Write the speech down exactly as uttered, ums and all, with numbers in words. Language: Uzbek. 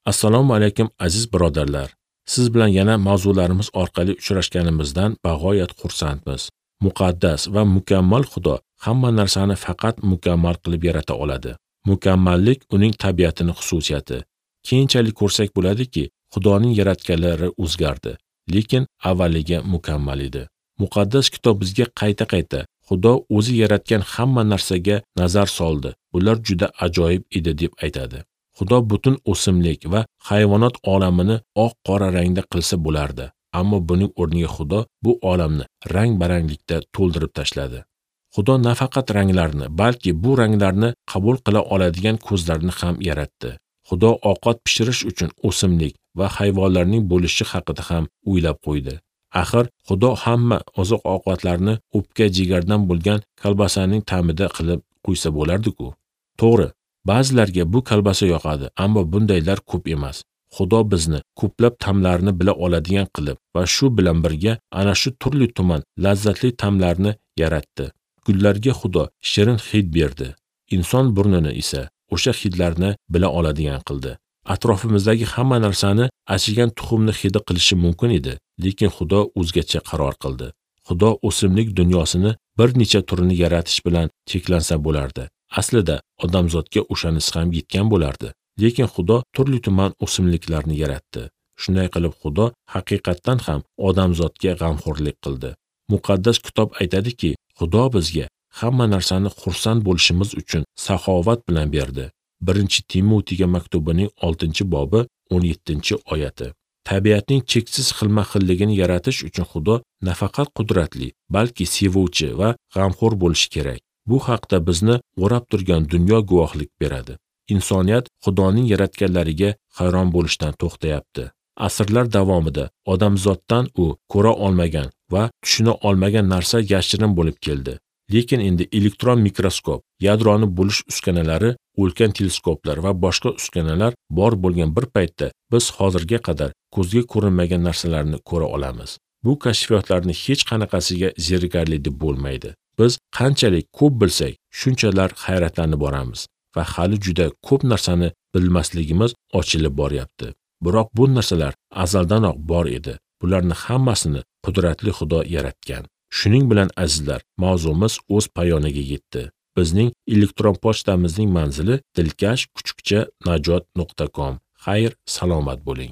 Assalomu alaykum aziz birodarlar. Siz bilan yana mavzularimiz orqali uchrashganimizdan bag'oyat xursandmiz. Muqaddas va mukammal Xudo hamma narsani faqat mukammal qilib yarata oladi. Mukammallik uning tabiatining xususiyati. Keyinchalik ko'rsak bo'ladiki, Xudoning yaratganlari o'zgardi, lekin avvaliga mukammal edi. Muqaddas kitob bizga qayta-qayta Xudo o'zi yaratgan hamma narsaga nazar soldi. Bular juda ajoyib edi deb aytadi. Xudo butun o'simlik va hayvonot olamini oq-qora rangda qilsa bo'lardi. Ammo buning o'rniga Xudo bu olamni rang-baranglikda to'ldirib tashladi. Xudo nafaqat ranglarni, balki bu ranglarni qabul qila oladigan ko'zlarni ham yaratdi. Xudo ovqat pishirish uchun o'simlik va hayvonlarning bo'lishi haqida ham o'ylab qo'ydi. Axir Xudo hamma oziq-ovqatlarni o'pka jigardan bo'lgan kolbasaning ta'mida qilib qo'ysa bo'lardi-ku. To'g'ri, ba'zilarga bu kolbasa yoqadi, ammo bundaylar ko'p emas. Xudo bizni ko'plab ta'mlarni bila oladigan qilib va shu bilan birga ana shu turli tuman lazzatli ta'mlarni yaratdi. Gullarga Xudo shirin hid berdi. Inson burnini esa o'sha hidlarni bila oladigan qildi. Atrofimizdagi hamma narsani achigan tuxumni hidi qilishi mumkin edi, lekin Xudo o'zgacha qaror qildi. Xudo o'simlik dunyosini bir necha turini yaratish bilan cheklansa bo'lardi. Aslida odamzodga o'shanisi ham yetgan bo'lardi. Lekin Xudo turli tuman o'simliklarni yaratdi. Shunday qilib Xudo haqiqatdan ham odamzodga g'amxo'rlik qildi. Muqaddas kitob aytadiki, Xudo bizga hamma narsani xursand bo'lishimiz uchun saxovat bilan berdi. Birinchi Timotiyga maktubining oltinchi bobi o'n yettinchi oyati. Tabiatning cheksiz xilma-xilligini yaratish uchun Xudo nafaqat qudratli, balki sevuvchi va g'amxo'r bo'lishi kerak. Bu haqda bizni o'rab turgan dunyo guvohlik beradi. Insoniyat Xudoning yaratganlariga hayron bo'lishdan to'xtayapti. Asrlar davomida odamzoddan u ko'ra olmagan va tushuna olmagan narsa yashirin bo'lib keldi. Lekin endi elektron mikroskop, yadroni bo'lish uskunalari, ulkan teleskoplar va boshqa uskunalar bor bo'lgan bir paytda biz hozirga qadar ko'zga ko'rinmagan narsalarni ko'ra olamiz. Bu kashfiyotlarni hech qanaqasiga zerikarli deb bo'lmaydi. Biz qanchalik ko'p bilsak, shunchalar hayratlanib boramiz va hali juda ko'p narsani bilmasligimiz ochilib boryapti. Biroq bu narsalar azaldanoq bor edi. Bularni hammasini qudratli Xudo yaratgan. Shuning bilan azizlar, mavzumiz o'z poyoniga yetdi. Bizning elektron pochtamizning manzili dilkash kuchukcha najot nuqta com. Xayr, salomat bo'ling.